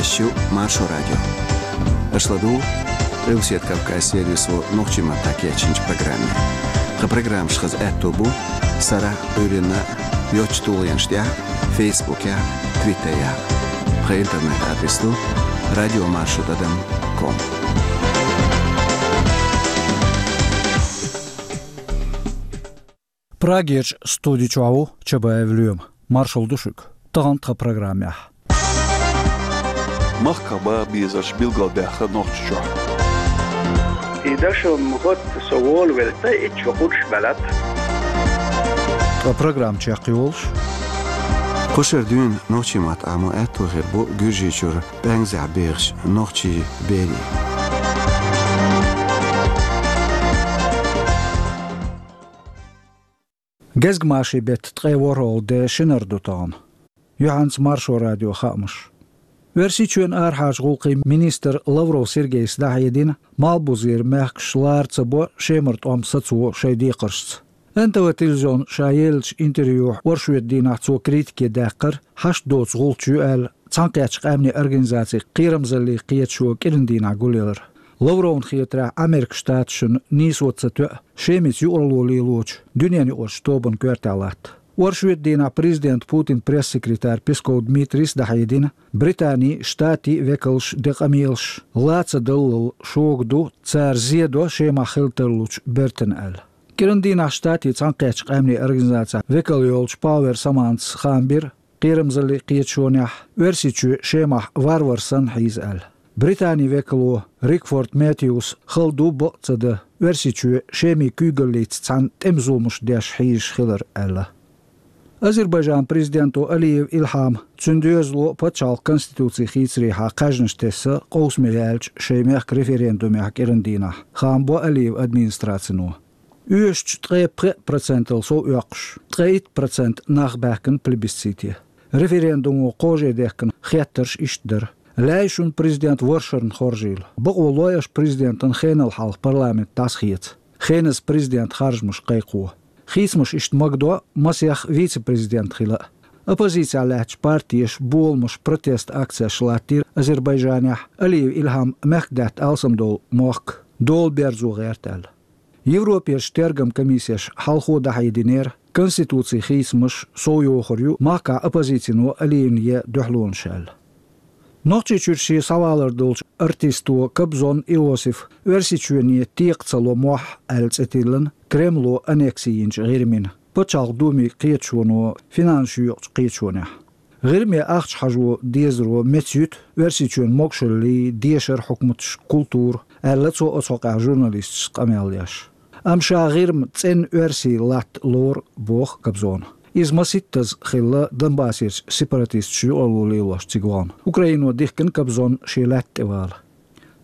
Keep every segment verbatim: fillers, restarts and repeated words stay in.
Аша ю Маршо радио. Аша ладугӀу Къилбаседа Кавказан сервисо нохчийн маттахь кечйинчу программе. Тхан программаш хаза аьтто бу сарахь а, Ӏуьйранна а йоцачу тулгӀенаш тӀехь а, Фейсбукехь а, Твиттерехь а. Тхан интернет-адрес ду радио маршо тӀадам ком. Прагерчу студи чохь ву Чабаев Лоьма. Маршалла ду шуьга. Тахана тхан программехь: махках баха безарш билгалбаьхна Нохчийчохь. И дашо ма хӀотта со волавелла, ткъа итт шо кхузза ваьлла. Ткъа программа чекхйолуш: кху шарахь дуьйна нохчийн мотт Ӏамо аьтто хир бу Гуьржийчуьра ПӀаьнкзехь бехачу нохчийн берийн. Гезгмашин беттан ткъе ворхӀалгӀа де шинара ду тахана. Юьхьанца Маршо радион хаамаш. Оьрсийчоьнан арахьарчу гӀуллакхийн министра Лавров Сергейс дӀахьедина, Малхбузера мехкаш лара ца бо Шемара тӀом сацо шайн декхаршца. Н Т В телевизионна ша еллачу интервьюхь оршотан дийнахь цо критике даьккхира, хьашт доцу гӀулч ю аьлла, Цхьаьнакхеттачу Къаьмнийн Организацин кхерамзаллин кхеташо кӀиран дийнахь гулъелар. Лавровна хетарехь, Америкин Штаташна нийсо ца тоьа Шемица юкъаралло лелочу дуьненаюкъарчу тобанна коьртехь латта. Оршотан дийнахь президентан Путинан пресс-секретарь Песков Дмитрийс дӀахьедина, Британин, Штатийн векалш ден къамелаш ла ца даллал шога ду, цара зе до Шемахь хила тарлучу бертан аьлла. КӀиран дийнахь Штатийн Цхьаьнакхеттачу Къаьмнийн Организацехь векал йолчу Пауэр Самантас хаам бира, кхерамзаллин кхеташонехь Оьрсийчоь Шемахь варвар санна хьийза аьлла. Британин векало Рикфорд Меттьюс хала ду, бакъ ца дан, Оьрсийчоь Шемин куьйгаллица цхьаьна тӀеман зуламаш деш хьийзаш хилар аьлла. Азербайджанан президенто Алиев Илхьама, цуьнан доьзало а, пачхьалкхан конституци хийцарехьа кхаьжнаш тесна къовсаме яьллачу шайн мехкан референдумехь кӀиран дийнахь, хаам бо Алиевн администрацино. Оьшучу ткъе пхеа процентал сов оьккхуш, ткъе итт процент нах баьхкина плебисците. Референдумо кхаждехкина хеттарш иштта дара: «Лаьий шуна президент варшарна хоржийла. Бакъо лой аша президентан хенал хьалха парламент дӀасахеца. Хеназа президентан харжамаш кхайкхо. Хийцамаш иштта магадо, масех вице-президент хила а». Оппозицехь лаьттачу партеша боламаш, протест акцеш латтийра Азербайджанехь, Алиев Илхьам мехкдаьтта алсамдолу мохк дола берзо гӀерта аьлла. Европерчу тергам комиссеша хьалхо дӀахьединера, конституцин хийцамаш совйохур ю махкахь оппозицино Алиевн ен дуьхьалонаш аьлла. Нохчийчуьра шен схьавалар долчу артисто Кобзон Иосифа Оьрсийчоьне текха ца ло мохь аьлла цӀе тиллина Кремло аннекси йинчу ГӀирмина, Пачхьалкхан Думин кхеташоно финансаш йоькъучу кхеташонехь. ГӀирме ахча хьажо дезаро мецъюьту Оьрсийчоьнан могушаллий, дешар, хьукматаш, культура, аьлла цо оцу хьокъехь журналисташца къамел деш. Амма ша ГӀирма цӀена оьрсий латта лору, боху Кобзона. Иза масийттаза хилла Донбассерчу сепаратисташа юкъаралло лелош цига вахана. Украино дихкина Кобзон шен лаьтта тӀе вала.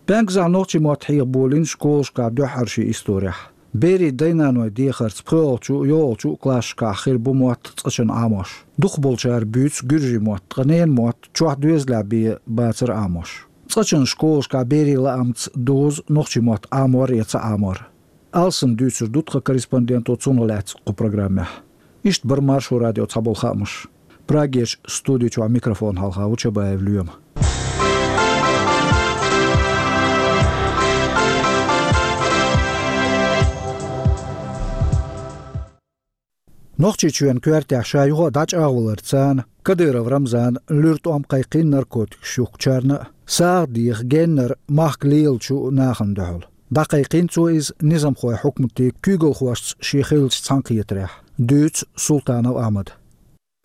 ПӀаьнкзехь нохчийн мотт хьеха болийна школашкахь дуьххьара шен историхь. Берийн дай-наной дехарца пхоьалгӀачу, йолхалгӀачу классашкахь хир бу мотт цкъачунна Ӏамош. Дукхахболчара буьйцу гуьржийн мотт, ткъа ненан мотт чохь доьзалехь бен бацара Ӏамош. Цкъачунна школашкахь берийн лаамца дозу нохчийн мотт Ӏамор я ца Ӏамор. Алсам дуьйцур ду тхан корреспонденто цунах лаьцна кху программехь. Иштта бара Маршо радион цхьаболу хаамаш. Прагерчу студи чохь микрофон хьалха ву Чабаев Лоьма. Нохчийчоьнан коьртехь ша юха а дӀачӀагӀваларца, Кадыров Рамзана луьра тӀом кхайкхина наркотикаш юхкучарна а, сагӀа деха геннара махка лелачу нахана дуьхьал. ДӀакхайкхийна цо иза низамхойн хьукматийн куьйгалхошца шен хиллачу цхьаьнакхетарехь, дуьйцу Султанов Ахьмада.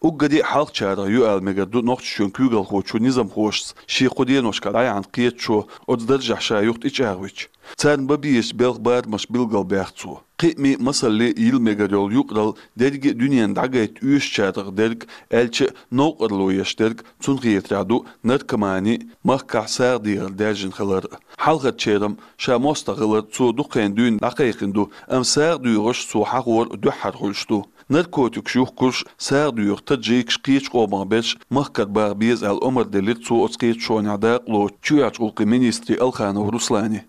Уггаре а хьалхачарах ю ала мегар ду Нохчийчоьнан куьйгалхочо низамхошца шен кху деношкахь дӀаяьхьна кхеташо оцу даржехь ша юха тӀечӀагӀвича. Царна бан безачу белхан барамаш билгалбаьхна цо. Кхиамий, масаллий йила мегар йолу юкъаралла дерриге а дуьненна дӀагайта оьшучарах дерг, аьлча а новкъарло еш дерг, цунна хетарехь ду наркомани а, махкахь сагӀа дехар даьржина хилар а. Хьалхарчеран ша мостагӀа хилар цо дукха хан дуьйна дӀакхайкхина ду, амма сагӀа доьхуш цо хьахор дуьххьара хуьлуш ду. Наркотикаш юхкурш, сагӀа доьху таджикаш, кхечу къомах берш махкара баха беза аьлла омра делира цо оцу кхеташонехь дакъалоцучу чоьхьарчу гӀуллакхийн министре Алханов Руслане.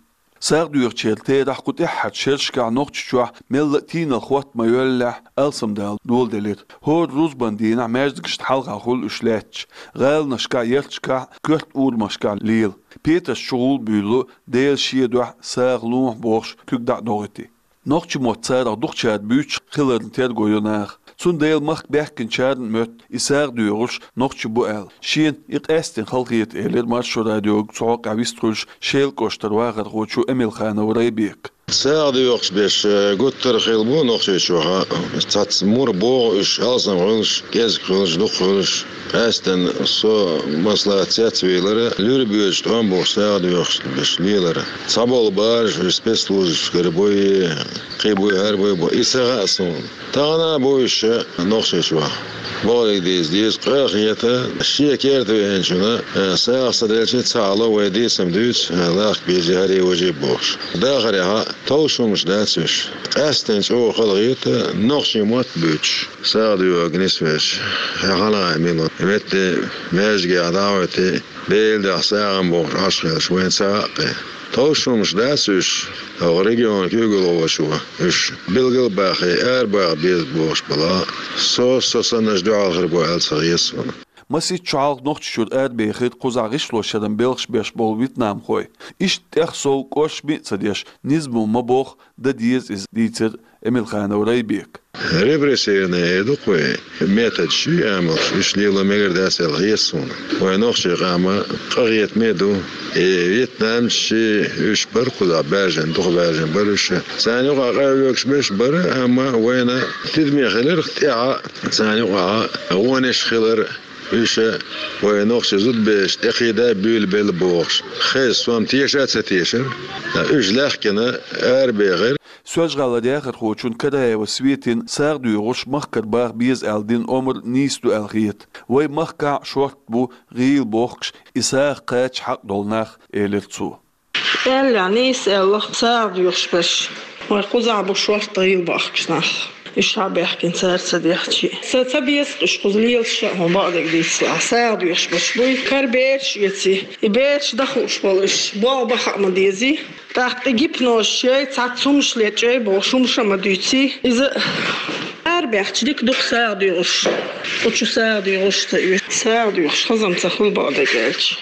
СагӀа доьхучеран терахь кху тӀаьххьарчу шерашкахь Нохчийчохь мелла а тийналла хӀотта ма йоьллехь, алсамдала доладелира. ХӀора рузбан дийнахь маьждигашна хьалха хуьлу уьш лаьтташ. ГӀаланашкахь, ярташкахь, коьрта урамашкахь лела. Петарш чугӀула буьйлу, Дела шен дуьхьа сагӀа лохьа бохуш, куьг дӀа а дохуьйтий. Нохчийн мотт царах дукхачара буьйцуш хиларна терго йо наха. Цундела махка баьхкинчарна а моьтту, и сагӀа доьхурш нохчий бу аьлла. Шена и къаьсттина хала хета, элира Маршо радиога цу хьокъехь вистхуьлуш Шелан кӀоштара вахархочо Эмилханов Райбека. СагӀа доьхуш берш, э, гуттар а хилла бу Нохчийчохь. Цхьацца мур богӀу уьш, алсам хуьлуш, кӀезиг хуьлуш, дукха хуьлуш. Къаьсттина со маслаӀат цецвийлира, луьра боьдучу тӀом бохуш сагӀа доьхуш берш лелира. Цхьаболу бараш уьш спецслужбашкара буй, кхин буй, хӀара буй боху, и ца хаьа суна. Тахана а бу уьш Нохчийчохь. Бохург дийца деза, къа а хета, шен керта веанчунна, э, сагӀа ца делча, цхьаалла вай дийцам дуьйцу, э, лахка безий, хӀара важий бохуш. Дахарехь а товш хӀуманаш дац уьш. Къаьсттина чӀогӀа хала хета нохчийн мотт буьйцуш, сагӀа доьхург нисвеш, хьан хьалха мила, метте маьждигехь дӀахӀоьттий, Делан дуьхьа сагӀа бохуш Ӏаш хилча, вайна ца хаьа кхин. Товш хӀуманаш дац уьш, хӀокху регионан куьйгалхочо уьш билгал а бахий, арабаха беза бохуш балахь а, со, со саннарш дуьхьал хир бу аьлла ца хета суна. Масийтта шо хьалха Нохчийчуьра арабехира кхузахь гӀишлошъяран белхаш беш болу вьетнамхой. Иштта тӀех сов кӀоршаме а ца деш, низамо ма боху, дан деза иза, дийцира Эмилханов Райбека. Репрессивный эр ду-кх вай, методаш ю амалш, уьш лело мегар дац аьлла хета суна. Вайн нохчийн къам къахетаме а ду. И вьетнамцаш, уьш бара кхузахь баьржина, дукха баьржина бара уьш. Царна юкъахь къахьоьгуш берш бара, амма вайна тидаме хилира тӀаьхьа, царна юкъахь гӀонаш хилар, уьш вайн нохчийн зудабераш тӀекхийда буьйлабелла бохуш. Хеза, со-м теша а ца тешара, уьш лаьхкина арабехира. Соьлжа-ГӀалара яхархочунна Караева Светина сагӀа доьхурш махкара баха беза аьлла дина омра нийса ду аьлла хета. Вай махкахь шортта бу гӀийла бохкуш, и сагӀа кхача хьакъ долу нах, элира цо. Аьлла, нийса аьлла, сагӀа доьхуш берш. Вай кхузахь бу шортта гӀийла бохкуш нах. Уьш схьабаьхкина цара ца дехча. Ца, ца беза уьш кхуза лелаш а, хьуна бакъдерг дийцалахь. СагӀа доьхуш берш буй, кара бераш эций. И бераш дан хууш болу уьш. БогӀу баха а ма дезий. ТӀаккха и гипноз чей, цхьацца хӀуманаш лечей бохуш хӀуманаш а ма дуьйций. Иза арабаьхча дика ду-кх сагӀа доьхурш. Кху чу сагӀа доьхурш ца оьшу. СагӀа доьхуш хазам ца хуьлу бакъдерг аьлча.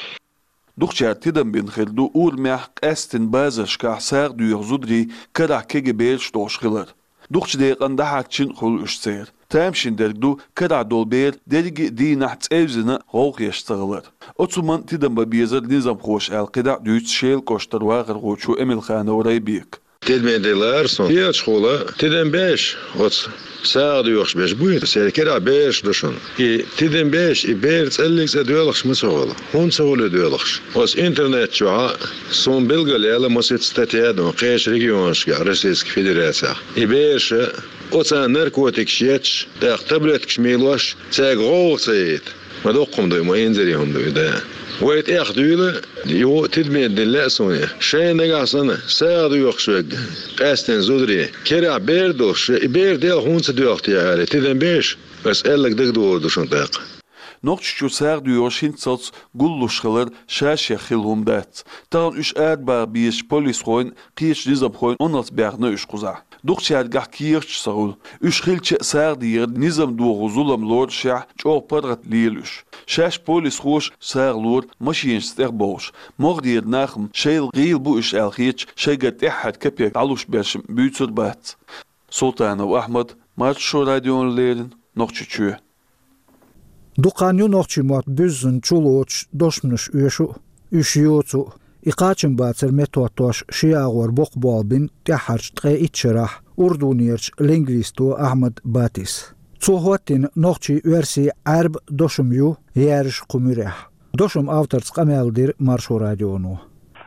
Дукхачара тидам бина хир ду урамехь къаьсттина базаршкахь сагӀа доьху зударий карахь кегий бераш долуш хилар. Дукхачу декъана дӀахьарчийна а хуьлу уьш церан. Тамашийна дерг ду карахь долу бер дерриге а дийнахь цӀевзина гӀовгӀа еш ца хилар. Оцу хӀуманна тидам бан безара низамхоша аьлла кхидӀа а дуьйцу Шелан кӀоштара вахархочо Эмилханов Райбека. Тидаме диллара суна. Кхечухула тидам беш оцу сагӀа доьхуш берш буй, церан карахь бераш ду шуна. И тидам беш, и бер цӀаллиг цӀа доьлхуш ма ца хуьлу. ХӀунда ца хуьлу доьлхуш? Оцу интернет чохь суна билгалъяьлла масийтта статья ду кхечу регионашкахь Российски Федерацехь. И бераша оцу наркотикаш етташ, тӀаккха таблеткаш мийлош, цаьрга гӀовгӀа ца яйта. Ма доккха хӀума ду и, ма инзаре хӀума ду и, да. Вай тӀехдуьйла, юха тидаме дина лаьа суна. Шайна нагахь санна сагӀа доьхуш верг, къаьсттина зударий, карахь бер долуш, и бер делха хӀунда ца доьлху те аьлла, тидам беш, аса аьлларг дагадогӀур ду шуна тӀаккха. Нохчийчуьра сагӀа доьхурш хӀинццалц гуллуш хилар ша-шех хилла хӀума дац. Тахана уьш арабаха безачу полисхойн, кхечу низамхойн Ӏуналц баьхна уьш кхузахь. Дукхачаьргахь кехаташ а ца хуьлу. Уьш хилча а сагӀа дехар низам дохо зулам лорушехь, чӀогӀа паргӀат лела уьш. Шаьш полисхоша сагӀа лора машинашца тӀехбовлуш. МогӀарера нах-м шайл гӀийла бу уьш аьлла хеташ, шайгара тӀаьххьара кепек дӀалуш берш-м буьйцур бац. Султанов Ахьмад, Маршо радиона леррина, Нохчийчоь. Дукха хан ю нохчийн мотт буьззина чулоцуш дошманаш оьшу а, уьш йоцу а. И кхачамбацар меттахӀоттош ши агӀор боккха болх бина тӀаьххьарчу ткъе итт шарахь Урдунерчу лингвисто Ахьмад Батис. Цо хӀоттийна нохчийн, оьрсийн, Ӏаьрбийн дошам ю яьржа кху муьрехь. Дошаман авторца къамел дира Маршо радионо.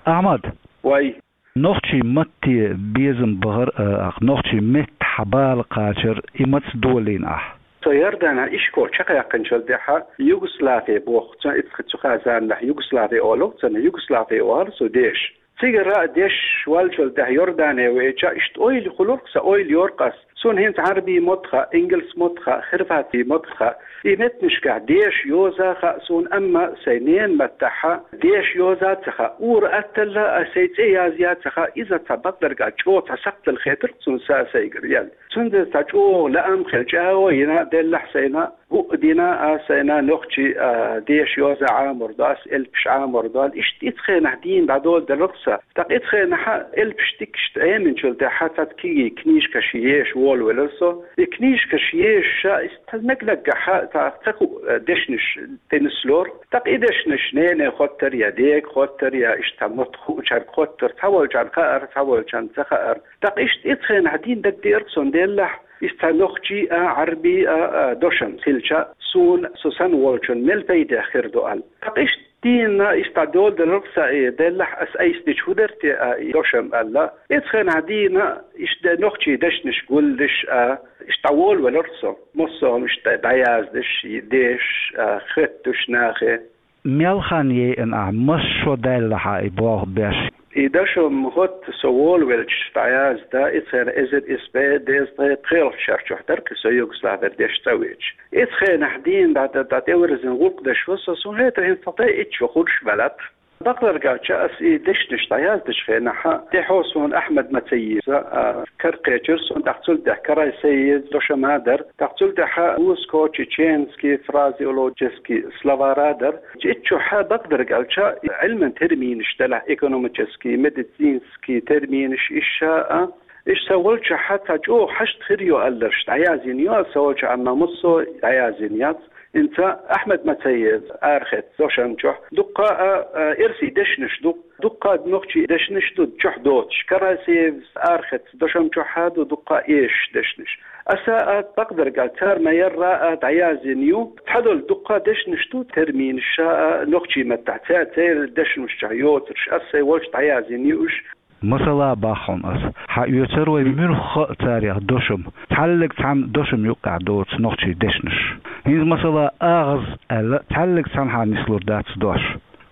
Ахьмад! Вай! Нохчийн матте безам бахар а, нохчийн меттахь бала кхачар, и маца долийна ахь? Со Иорданехь ишкол чекхъяьккхинчул тӀаьхьа Югославия боху, цу, цу хазаннахь Югославия олу, цунна Югославия олу цу деша. Цигара деш валчул тӀаьхьа Иордане веача, иштта ойла хуьлура сан, ойла йора ас. Суна хӀинца Ӏарбий мотт хаьа, ингалс мотт хаьа, хирвати мотт хаьа. И меттанашкахь деша йоза хаьа суна, амма сайн ненан маттахь деша йоза ца хаьа. Ур атталла а сайн цӀе язъян ца хаьа, иза цхьа бакъдерг а чӀогӀа цхьа сакхтал хетар цунна са сайгара яьлла. Цундела цхьа чӀогӀа лаам хилча а йина, деллахь сайна, хӀуъа дина а сайна, нохчий а деша йоза Ӏамор ду ас, элпаш Ӏамор ду ала, иштта ицу хенахь дийна дӀадоладелар-кх сан. ТӀаккха ицу хенахь элпаш дикашта Ӏеминчул тӀаьхьа цхьацца кегий книжкаш еша волавелар со. И книжкаш ешаш а, иштта наг-наггахь цхьа ца хуу дешнаш тӀенислора. ТӀаккха и дешнаш нене хоттар я дега хоттар я иштта мотт хуучаьрга хоттар, цхьаволчарна хаьар, цхьаволчарна ца хаьар. ТӀаккха иштта ицу хенахь дийна дагадеар-кх суна, деллахь, иштта нохчий а, Ӏарбий а, а, дошам хилча, суна, со санна волчунна мел пайдехь хир ду ала. ТӀаккха иштта дийна иштта доладелар-кх сан, и деллахь, ас айса дича хӀун дара те а, и дошам аьлла. Ицу хенахь дийна иштта нохчий дешнаш гулдеш а, иштта дӀаволавелар со. Массо а хӀума иштта дӀаяздеш, дешаш а, хетташ нахе. Мел хан яйина ахь, масса шо даьлла хьан и болх беш? И дошам хӀотта со волавелча дӀаязда, ицу хенахь эзар исс бӀе дезткъе пхелагӀчу шарчохь дара-кх со Югославера дешна цӀа веача. Ицу хенахь дийна дӀа-, дӀа-, дӀатӀевирзина гӀуллакх деш ву со, суна хетара хӀинца цхьа дай итт шо хуьлуш ваьлла-кх. Бакъдерг аьлча, ас и дешнаш дӀаяздечу хенахь, тӀехьо суна Ахьмад Мацаевс а кара кхечира суна, тӀаккха цул тӀаьхьа Карасаевс дошам а дара, тӀаккха цул тӀаьхьа русско-чеченский фразеологический словарь а дара. Итт шо хьа, бакъдерг аьлча, Ӏилман терминаш делахь, экономический, медицинский терминаш, иштта а, иштта сан волчохь цхьа чӀогӀа хьашт хир ю аьлларш дӀаяздина ю ас сан волчохь, амма массо а дӀаяздина яц. ХӀинца Ахьмад Мацаевс арахецна дошам чохь дуккха а, а, эрсий дешнаш ду, дуккха а нохчий дешнаш ду чохь доцуш. Карасаевс арахецна дошам чохь а ду дуккха а эшаш дешнаш. Аса а, бакъдерг аьлча, цара ма-ярра а дӀаяздина ю. Цхьадолу дуккха а дешнаш ду, терминаш а, нохчий маттахь, ца-, церан дешнаш чохь йоцурш, ас сайн волчохь дӀаяздина ю уьш. Масала боху хьуна ас. Хьан оьцура вай муьлхха а царех дошам? Цхьаллиг цхьана дошам юккъехь доцу нохчий дешнаш. ХӀинца, масала, агӀаз аьлла, цхьаллиг цхьанхьа нислур дац дош.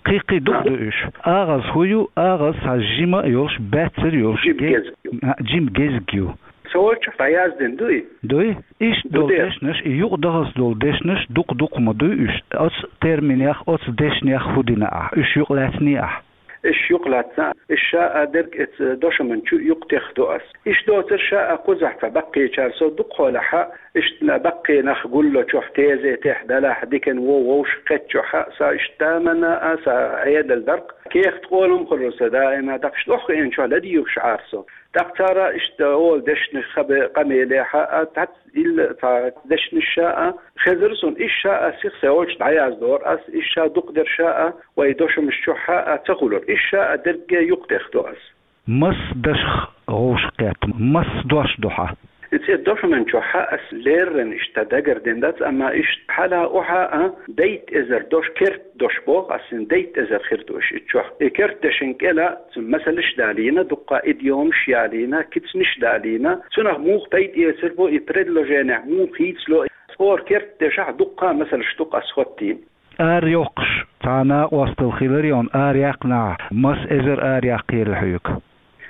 Кхин-кхин дукха ду уьш. АгӀаз хӀун ю? АгӀаз цхьа жима а йолуш, баьццара йолуш, жима ге-, гезг ю. А, жима гезг ю. Сан волчохь дӀаяздина дуй? Дуй. Иштта долу дешнаш, и юкъадахалц долу дешнаш дукха-дукха ма дуй уьш. Оцу терминех, оцу дешнех хӀун дина ахь? Уьш юкъалаьцний ахь? Уьш юкъалаьцна, уьш ша а дерг эца дошаман чу юкъатехна ду ас. Иштта доцурш а кхузахь цхьа баккхийчара со дукхахьолахь, иштта баккхий нах гуллучохь, тезетехь делахь, дикан вон вовшах кхеттачохь а, сан иштта тамана а, сан Ӏедал дара-кх. Кехат къолам хуьлура сан даима, тӀаккха иштта охьахиъначохь ладуьйгӀуш Ӏара со. ТӀаккха цара иштта олу дешнаш хабе къамелехь а, цхьацца ила цхьа дешнаш а хезара суна, иштта а сиха сан волчохь дӀаяздора ас, иштта дукха дерш а вай дошамаш чохь а ца хуьлура, иштта а дерриге юкъатехна ду ас. Мас дашах вовшах кхетта, мас дош ду хьан? Иза дошаман чохь а ас леррина иштта дагардина дац, амма иштта хьала охьа а дейтта эзар дош, керт дош боху ас, хӀинца дейтта эзар хир ду уьш итт шо. И керт дешан кӀела цу масалш далийна, дуккха идиомаш ялийна, кицнаш далийна, цунах муха пайда эцар бу, и предложенехь муха хийцало, хӀора керт дешахь дуккха а масалш ду-кх ас хӀоттийна. Ара йоккхуш, цхьа накъосталла хилар йона, ара яьккхинехь, маса эзар ара яккхийла хьоьга?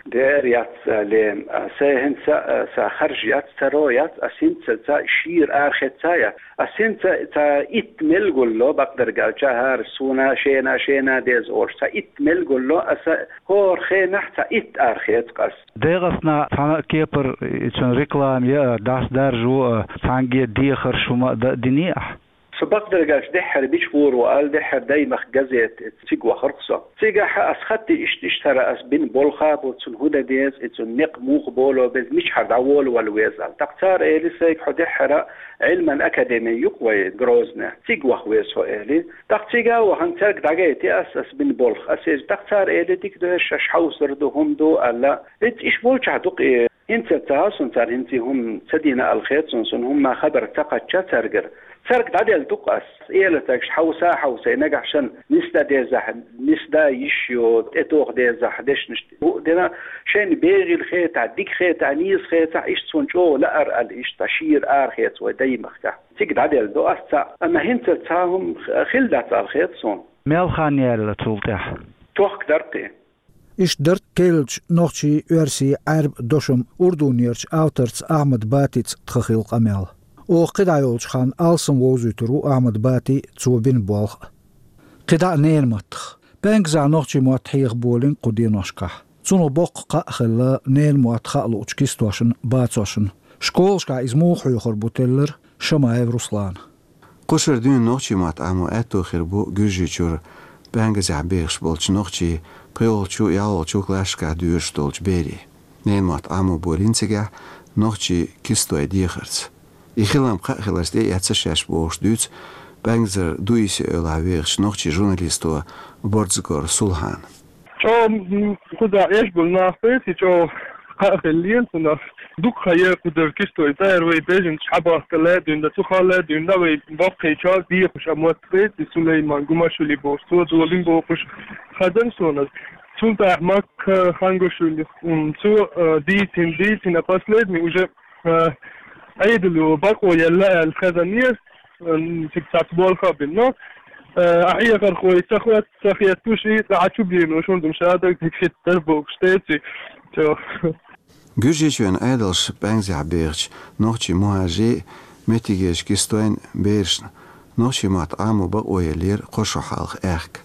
Дера яц, Лем, а, сайн хӀинца, а, сан харж яц, царо яц, ас хӀинца ца шийра арахецна яц. Ас хӀинца цхьа итт мел гулло, бакъдерг аьлча, хӀара суна шена, шена деза олуш, цхьа итт мел гулло, аса хӀора хенахь цхьа итт арахецна-кх ас. ДегӀаснахь цхьана а кепара, и цуьнан реклама яа, дӀасадаржо а, цхьаьнгге дехарш хӀума а дан а диний ахь? Со, бакъдерг аьлча, дуьххьара бича гӀур ву аьлла, дуьххьара «Даймахка» газета, цига вахара-кх со. Цигахь ас хаттий иштта-иштта хӀара ас бина болх а бу, цунна хӀун дан деза, и цунна некъ муха боло беза, мичахьара дӀаволавала веза аьлла. ТӀаккха цара элира сайга: «Хьо дуьххьара Ӏилман академи ю-кх вай Грозне, цига ваха веза хьо», — элира. ТӀаккха цига а вахана, цаьрга дӀагайти ас, ас бина болх. Ас эза, тӀаккха цара элира: «Дика ду, хӀара шаьш хьовсур ду, хӀума ду», — аьлла. ХӀинца иштта болчохь ду-кх и. ХӀинца ца хьо суна цара хӀинца и хӀума ца дина аьлла хета суна, суна хӀумма хабар ца кхаьчча цаьргара. Цаьрга дӀаделла ду-кх ас. Эла цаьргаш хьовса а хьовсий, нагахь шен нисдан дезахь, нисдан йиш ю, тӀетоха дезахь, дешнаш хӀуъа дина, шайна бегӀийла хетахь, дика хетахь, нийса хетахь, иштта суна чӀогӀа лаьара аьлла, иштта шийра арахеца вай Даймахкахь. Цига дӀаделла ду ас цхьаъ, амма хӀинца цхьа хӀума хилла дац аьлла хета суна. Мел хан яьлла цул тӀаьхьа? Тохка дара-кх и. Иштта дара керлача нохчийн, оьрсийн, Ӏаьрба дошам урдунерча авторца Ахьмад Батица тха хилла къамел. Оха кхидӀа йолча хана алсам вовзуьйтур ву Ахьмад Бати цо бина болх а. КхидӀа а ненан маттах. ПӀаьнгазахь нохчийн мотт хьеха болийна кху деношкахь. Цунах боккха кхаъ хилла ненан мотт хаа луучу кистошна, бацошна. Школашкахь иза муха хьоьхур бу теллира Шамаев Руслана. Кху шарахь дуьйна нохчийн мотт Ӏамо аьтто хир бу Гуьржийчуьра ПӀаьнгазехь бехаш болчу нохчийн пхоьалгӀачу, ялхалгӀачу классашкахь доьшуш долчу берийн. Ненан мотт Ӏамо болийна цигахь нохчийн кистой дехарца. И хилам кхаъ хиларца тӀеэцна шаьш бохуш дуьйцу ПӀаьнгазара Дуиси эвлахь вехачу нохчийн журналисто Борзагора Сулхьана. ЧӀогӀа, м, кхузахь эшболу нах бети, чӀогӀа кхаъ хиллера цунах. Дукха хан яра кхузара кистой цӀера вай бежанаш хьабахка лаьа дуьйна, цу хала лаьа дуьйна, вай боккхийчара дехуш а мотт бети, Сулейман Гумашвили бохуш, цо долийна бохуш хазан суна. Цул тӀаьхьа Макка Хангушвили, м, цо, э, дийцина, дийцина, последний уже, э, Ӏедало бакъо елла аьлла хазанера, м, цига цхьацца болх а бина. Но, э, а хьехархой ца хет-, ца хеттуш, и цхьа чу бийр ду, шуна дуьйна шадерг дика хӀиттар бохуш тӀеэцна. Чо. Гуьржийчоьнан Ӏедалша ПӀаьнгазехь бехачу нохчийн мухӀажарийн, меттигерчу кистойн берашна нохчийн мотт Ӏамо бакъо еллера кхо шо хьалха аьхка.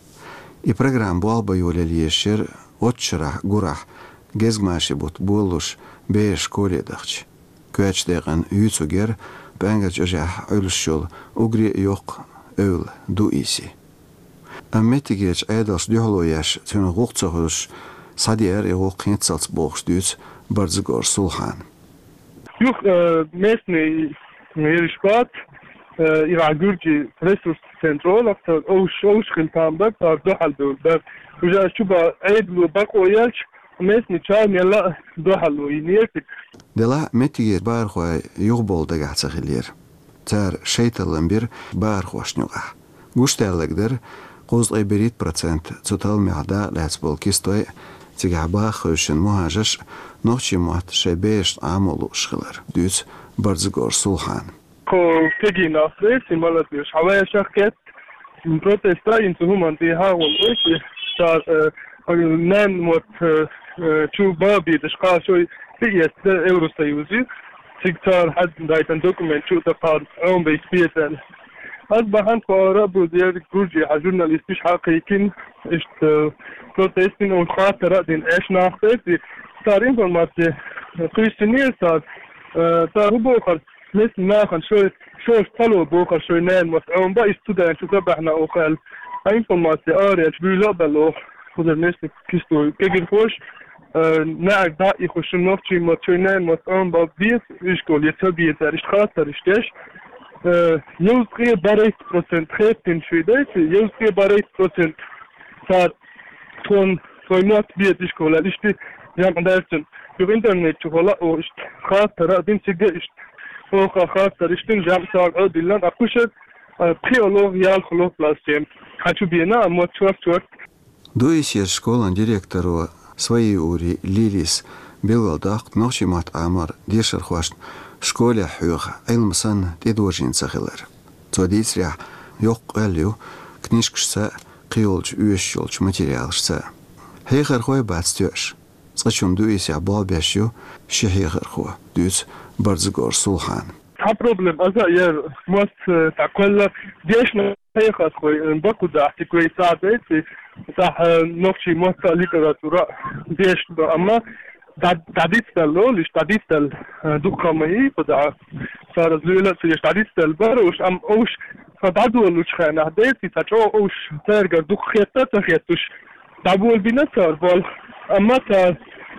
И программа болх бан йолаелла езаш яра оццу шарахь гурахь, гезгмашин бутт болалуш, бераш школе дахча. Коьртачу декъана юьйцург яра ПӀаьнгарчу ожехь Ӏуьллуш йолу уггаре а йоккха эвла Дуиси. Амма меттигерчу Ӏедалша дуьхьало еш, цуьнан гӀуллакх ца хуьлуш, схьадеара и гӀуллакх хӀинццалц бохуш дуьйцу Борзагора Сулхьана. Юха, э, местный ериш бац, э, и ван гуьржийн ресурс центр олу, цара овш, овш хила там бара, цара дуьхьал бевлла бара. Уже аша чу бан Ӏедало бакъо елча, местный чарна елла а дуьхьало йинера цига. Делахь а меттигерчу бахархой юхабовла дагахь ца хиллера. Цара шайталлам бира бахархошна юкъахь. Гуш даьлларг дара, кхузткъе берхӀитта процент цу талламехь дакъа лаьцна болу кистой, цигахь баха хевшина мухӀажарш нохчийн мотт шайн берашна Ӏамо лууш хилар, дуьйцу Борзагора Сулхьана. Кху кегий нах бети, молодёжь, хьан вешах кет, протест а йина цу хӀуманна тӀехьа гӀо бети, цара, э, ненан мотт, э, э, чу бан безаш кхачой тӀеэцна Евросоюзе, цига цара хьаьддайтан документ чу тӀе кхара Ӏомабайта беза аьлла. Ас бахьана тхо ара а бузера, гуш хьан журналисташ хьакхайкхина, иштта, э, протестин, оцу хаттара а дина, эш нах бети, цара информаци кхуьссинера цара, э, цара хӀун бохура, местный нахана шой, шоьш ца ло бохура шой ненан мотт Ӏомабан, иштта цу дайна шу ца баьхьна оха аьлла. А информаци арахьа буьйла а баьлла оха, кхузара местный кистой кегирхоша, э, наьӀарг дӀа а ихуш, нохчийн мотт, шайн ненан мотт Ӏомабан беза ишколе я ца беза аьлла, иштта хаттар иштта деш, э, йовзткъе бархӀитта процент хеттина шуьйдайца, йовзткъе бархӀитта процент цара тхуна, тхайн мотт беза ишколе аьлла, иштта жамӀ даьрцина. Юха интернет чухула а оха иштта хаттар а дина цига иштта. Оха хаттар иштта дина, жамӀ цара Ӏодиллина, а кхушара, э, пхиало, ялхало классе хьан чу бена, а мотт чорт-чорт. Дуисера школан директоро Сваиури Лилис билгалдоккху нохчийн мотт Ӏамор дешархошна школехь хьоьху Ӏилма санна тӀедожийна ца хилар. Цо дийцарехь, йоккха къоьлла ю книжкашца а, кхийолчу оьшуш йолчу материалашца а. Хьехархой бац тоьаш. Цкъачунна Дуисехь болх беш ю ши хьехархо, дуьйцу Барзагора Сулхана. Цхьа проблема аса а яра, мотт, э, цхьа кхоьлла дешна хьехархой, э, бакъ дахьтиг вай цхьа дайци, цхьа, э, нохчийн мотт а, литература а дешна, амма дӀа-, дӀадицдалла олуш, дӀадицдалла, э, дукха ма йий, кху дӀа цара зуьйла а ца еш, дӀадицдалла бара уьш, амма уьш сан дӀадолучу хенахь дайци, цхьа чӀогӀа уьш цаьргара дукха хетта а ца хеттуш, дӀаболабина цара болх. Амма цара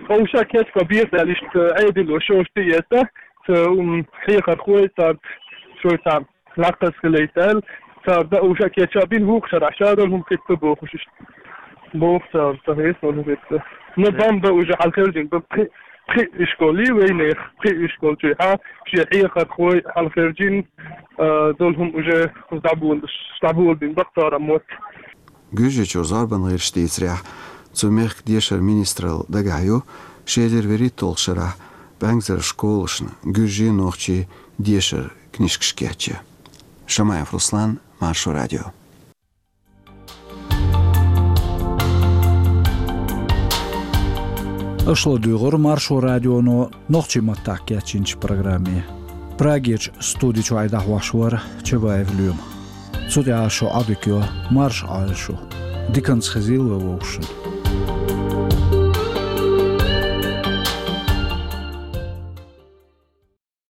уьш а кечбан беза аьлла, иштта Ӏедало шоьш тӀеэцна, ца, м, хьехархой цара шоьца лакхаза хилийта аьлла, цара дан уьш а кечбина, вукху шарахь ша долу хӀума хӀитта бохуш иштта. Боху цара, ца хеса долу хӀума хӀитта. Но бан бан уже хьалхержина, бан пхи, пхи ишкол ю вайнех, пхи ишкол чуьхьа, шен хьехархой хьалхержина, а, долу хӀума уже дӀаболуш, дӀаболабина бакъ цара мотт. Гуьржийчуьра зорбан гӀирсаша дийцарехь, цу мехкан дешаран министралла дагахь ю ши эзар вуьрхӀитталгӀачу шарахь ПӀаьнгазарчу школашна гуьржийн, нохчийн дешаран книжкаш кечъян. Шамаев Руслан, Маршо радио. Аша ладугӀура Маршо радионо нохчийн маттахь кечйинчу программе. Прагерчу студи чохь и дӀахьош вара Чабаев Лоьма. Цу тӀехь шун Ӏодика йо, марша Ӏойла шу. Диканца хезийла вай вовшашна.